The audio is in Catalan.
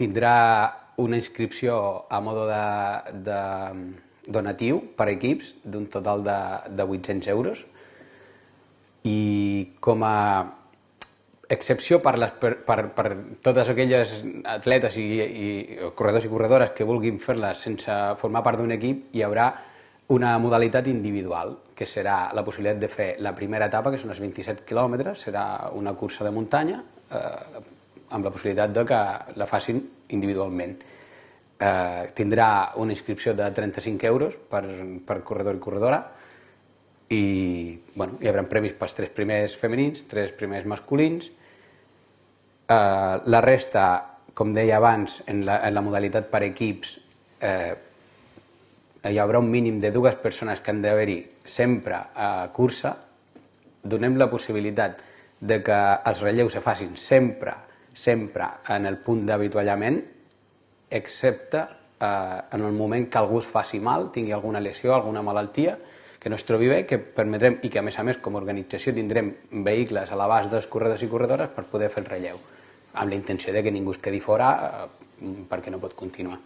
tindrà una inscripció a modo de donatiu per equips d'un total de 800 euros i com a excepció per totes aquelles atletes i corredors i corredores que vulguin fer-les sense formar part d'un equip, hi haurà una modalitat individual, que serà la possibilitat de fer la primera etapa, que són els 27 quilòmetres, serà una cursa de muntanya amb la possibilitat de que la facin individualment. Tindrà una inscripció de 35 euros per corredor i corredora i hi haurà premis pels 3 primers femenins, 3 primers masculins. La resta, com deia abans, en la modalitat per equips, hi haurà un mínim de 2 persones que han d'haver-hi sempre a cursa. Donem la possibilitat de que els relleus se facin sempre en el punt d'avituallament, excepte en el moment que algú es faci mal, tingui alguna lesió, alguna malaltia, que no es trobi bé, que permetrem, i que a més com a organització tindrem vehicles a l'abast dels corredors i corredores per poder fer el relleu, amb la intenció de que ningú es quedi fora perquè no pot continuar.